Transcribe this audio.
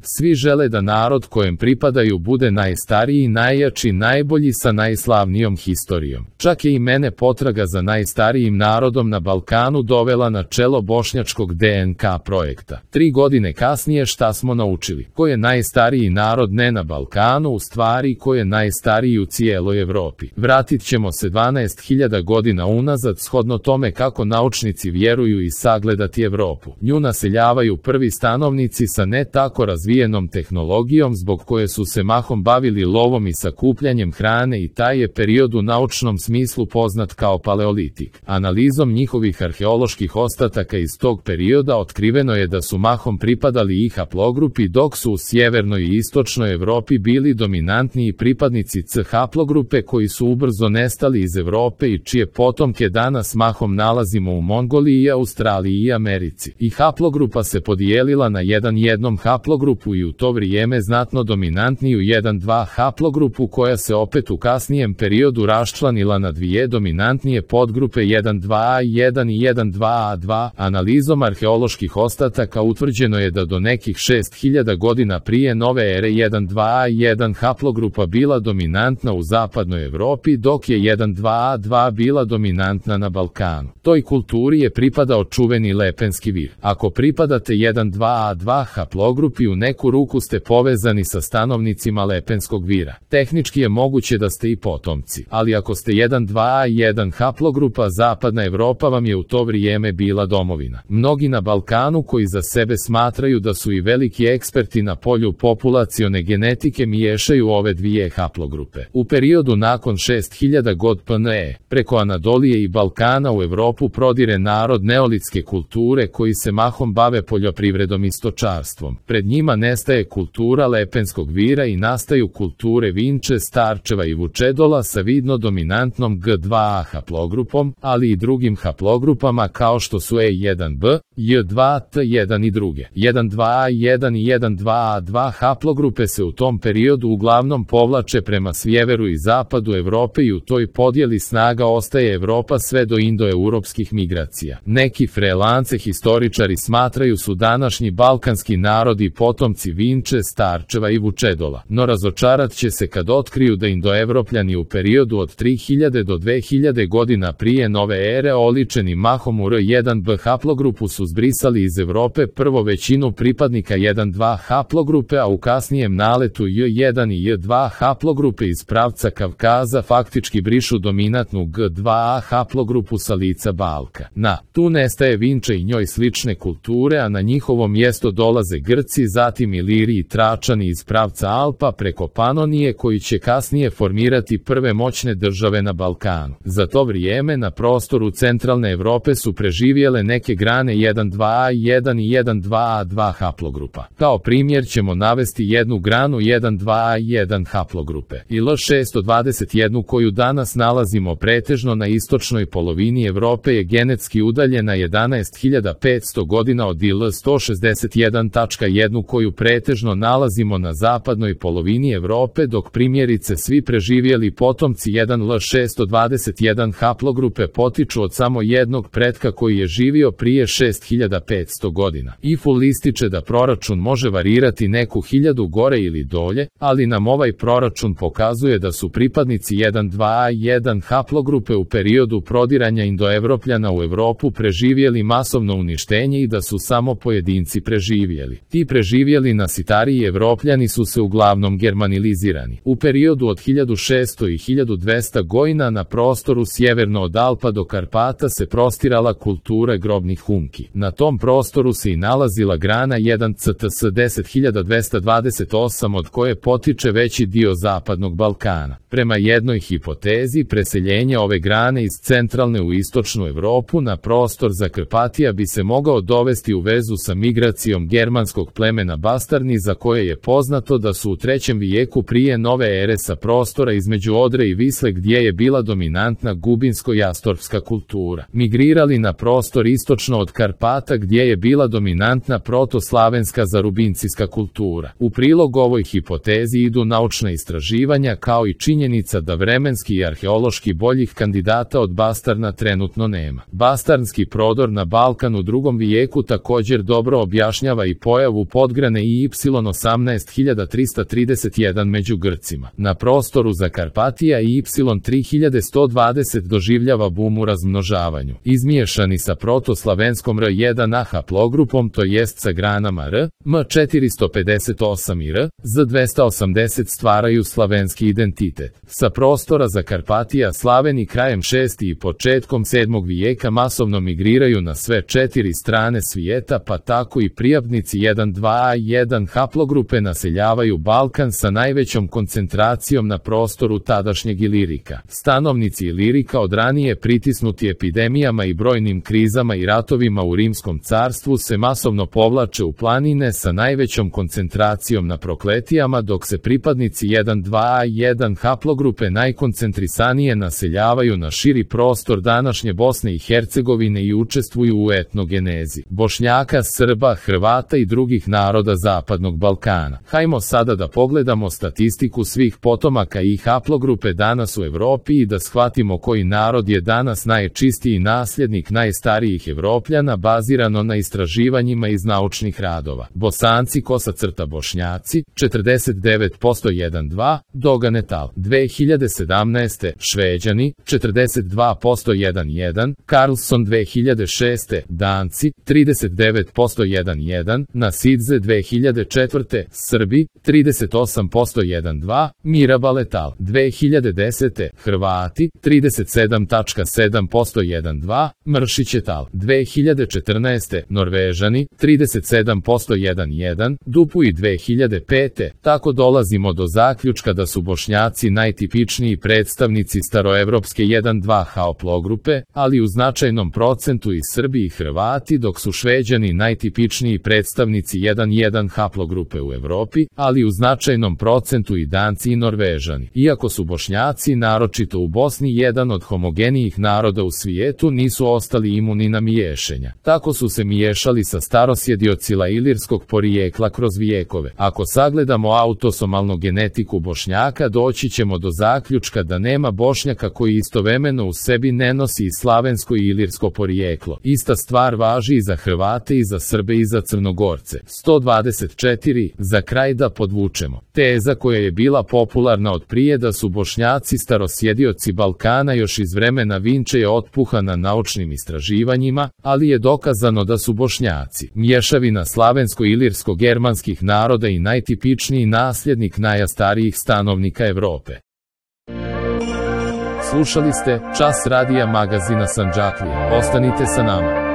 Svi žele da narod kojem pripadaju bude najstariji, najjači, najbolji sa najslavnijom historijom. Čak je i mene potraga za najstarijim narodom na Balkanu dovela na čelo bošnjačkog DNK projekta. 3 godine kasnije šta smo naučili? Ko je najstariji narod ne na Balkanu, u stvari ko je najstariji u cijeloj Evropi. Vratit ćemo se 12.000 godina unazad shodno tome kako naučnici vjeruju i sagledati Evropu. Nju naseljavaju prvi stanovnici sa ne tako razvijenom tehnologijom zbog koje su se mahom bavili lovom i sakupljanjem hrane i taj je period u naučnom smislu poznat kao paleolitik. Analizom njihovih arheoloških ostataka iz tog perioda otkriveno je da su mahom pripadali i haplogrupi dok su u sjevernoj i istočnoj Evropi bili dominantniji pripadnici C haplogrupe koji su ubrzo nestali iz Evrope i čije potomke danas mahom nalazimo u Mongoliji, Australiji i Americi. I haplogrupa se podijelila na jednom haplogrupu i u to vrijeme znatno dominantniju 1-2 haplogrupu koja se opet u kasnijem periodu raščlanila na dvije dominantnije podgrupe 1-2A1 i 1-2A2. Analizom arheoloških ostataka utvrđeno je da do nekih 6000 godina prije nove ere 1-2A1 haplogrupa bila dominantna u zapadnoj Evropi dok je 1-2A2 bila dominantna na Balkanu. Toj kulturi je pripadao čuveni Lepenski vir. Ako pripadate 1-2A2 haplogrupi u neku ruku ste povezani sa stanovnicima Lepenskog vira. Tehnički je moguće da ste i potomci, ali ako ste 1-2A1 haplogrupa, zapadna Evropa vam je u to vrijeme bila domovina. Mnogi na Balkanu koji za sebe smatraju da su i veliki eksperti na polju populacione genetike miješaju ove dvije haplogrupe. U periodu nakon 6000 god PNE, preko Anadolije i Balkana u Evropu prodire narod neolitske kulture koji se mahom bave poljoprivredom i stočarstvom. Pred njima nestaje kultura Lepenskog vira i nastaju kulture Vinče, Starčeva i Vučedola sa vidno dominantnom G2A haplogrupom, ali i drugim haplogrupama kao što su E1B, J2T1 i druge. 1-2A1 i 1-2A2 haplogrupe se u tom periodu uglavnom povlače prema sjeveru i zapadu Evrope i u toj podjeli snaga ostaje Evropa sve do indoeuropskih migracija. Neki frelance historičari smatraju su današnji balkanski narodi potomci Vinče, Starčeva i Vučedola, no razočarat će se kad otkriju da indoevropljani u periodu od 3000 do 2000 godina prije nove ere oličeni mahom u R1B haplogrupu su zbrisali iz Evrope prvo većinu pripadnika 1-2 haplogrupe, a u kasnijem naletu J1 i J2 haplogrupe iz pravca Kavkaza faktički brišu dominantnu G2A haplogrupu sa lica Balka. Tu nestaje Vinče i njoj slične kulture, a na njihovo mjesto dolaze Grci, zatim Iliri i Tračani iz pravca Alpa preko Panonije koji će kasnije formirati prve moćne države na Balkanu. Za to vrijeme na prostoru centralne Evrope su preživjele neke grane 1-2A1 i 1-2A2 haplogrupa. Kao primjer ćemo navesti jednu granu 1-2A1 haplogrupe i L621 koju danas nalazimo pretežno na istočnoj polovini Evrope je genetski udaljena 11.500 godina od IL161.1 koju pretežno nalazimo na zapadnoj polovini Evrope, dok primjerice svi preživjeli potomci 1L621 haplogrupe potiču od samo jednog pretka koji je živio prije 6500 godina. IFUL ističe da proračun može varirati neku hiljadu gore ili dolje, ali nam ovaj proračun pokazuje da su pripadnici 1-2A1 haplogrupe u periodu prodiranja indoevropljana u Evropu preživjeli masovno uništenje i da su samo pojedinci preživjeli. Ti preživjeli nasitariji Evropljani su se uglavnom germanilizirani. U periodu od 1600 i 1200 godina na prostoru sjeverno od Alpa do Karpata se prostirala kultura grobnih humki. Na tom prostoru se i nalazila grana 1CTS 10228 od koje potiče veći dio zapadnog Balkana. Prema jednoj hipotezi, preseljenje ove grane iz centralne u istočnu Evropu na prostor Zakrpatija bi se mogao dovesti u vezu sa migracijom germanskog plemena Bastarni za koje je poznato da su u 3. vijeku prije nove ere sa prostora između Odre i Visle gdje je bila dominantna gubinsko-jastorpska kultura migrirali na prostor istočno od Karpata gdje je bila dominantna protoslavenska zarubincijska kultura. U prilog ovoj hipotezi idu naučna istraživanja kao i činjenica da vremenski i arheološki boljih kandidata od Bastarna trenutno nema. Bastarnski prodor na Balkan u 2. vijeku također dobro objašnjava i pojavu podgraničja registrirane i Y18.331 među Grcima. Na prostoru Zakarpatija Y3120 doživljava bum u razmnožavanju. Izmiješani sa protoslavenskom R1A haplogrupom, to jest sa granama R, M458 i R, Z280 stvaraju slavenski identitet. Sa prostora Zakarpatija Slaveni krajem 6. i početkom 7. vijeka masovno migriraju na sve 4 strane svijeta, pa tako i prijavnici 1,2a i 1 haplogrupe naseljavaju Balkan sa najvećom koncentracijom na prostoru tadašnjeg Ilirika. Stanovnici Ilirika od ranije pritisnuti epidemijama i brojnim krizama i ratovima u Rimskom carstvu se masovno povlače u planine sa najvećom koncentracijom na Prokletijama, dok se pripadnici 1,2a i 1 haplogrupe najkoncentrisanije naseljavaju na širi prostor današnje Bosne i Hercegovine i učestvuju u etnogenezi Bošnjaka, Srba, Hrvata i drugih naroda Zapadnog Balkana. Hajmo sada da pogledamo statistiku svih potomaka i haplogrupe danas u Evropi i da shvatimo koji narod je danas najčistiji nasljednik najstarijih Evropljana bazirano na istraživanjima iz naučnih radova. Bosanci Bošnjaci 49% 1,2, Dogan et al. 2017. Šveđani 42% 1,1, Carlson 2006. Danci 39% 1,1, Nasidze 2004. Srbi 38% 1,2, Mirabal et al. 2010. Hrvati 37,7% 1,2, Mršić et al. 2014. Norvežani 37% 1,1, Dupuy 2005. Tako dolazimo do zaključka da su Bošnjaci najtipičniji predstavnici staroevropske 1,2 haplogrupe, ali u značajnom procentu i Srbi i Hrvati, dok su Šveđani najtipičniji predstavnici 1,1 haplogrupe u Evropi, ali u značajnom procentu i Danci i Norvežani. Iako su Bošnjaci, naročito u Bosni, jedan od homogenijih naroda u svijetu, nisu ostali imuni na miješanja. Tako su se miješali sa starosjediocila ilirskog porijekla kroz vijekove. Ako sagledamo autosomalnu genetiku Bošnjaka, doći ćemo do zaključka da nema Bošnjaka koji istovremeno u sebi ne nosi i slavensko i ilirsko porijeklo. Ista stvar važi i za Hrvate i za Srbe i za Crnogorce. 124. Za kraj da podvučemo. Teza koja je bila popularna od prije da su Bošnjaci starosjedioci Balkana još iz vremena Vinče je otpuhana naučnim istraživanjima, ali je dokazano da su Bošnjaci mješavina slavensko-ilirsko-germanskih naroda i najtipičniji nasljednik najstarijih stanovnika Evrope. Slušali ste Čas radija magazina Sandžaklija. Ostanite sa nama.